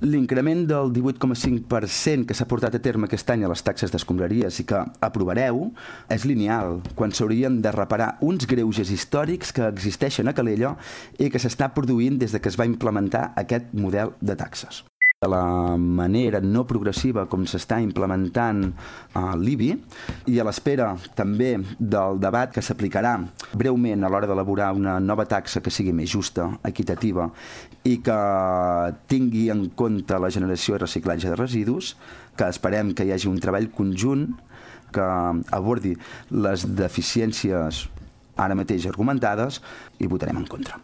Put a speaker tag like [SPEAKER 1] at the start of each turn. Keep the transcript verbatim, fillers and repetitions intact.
[SPEAKER 1] L'increment del divuit coma cinc per cent que s'ha portat a terme aquest any a les taxes d'escombraries i que aprovareu és lineal, quan s'haurien de reparar uns greuges històrics que existeixen a Calella i que s'està produint des de que es va implementar aquest model de taxes. De la manera no progressiva com s'està implementant uh, l'I B I i a l'espera també del debat que s'aplicarà breument a l'hora d'elaborar una nova taxa que sigui més justa, equitativa i que tingui en compte la generació i reciclatge de residus, que esperem que hi hagi un treball conjunt que abordi les deficiències ara mateix argumentades, i votarem en contra.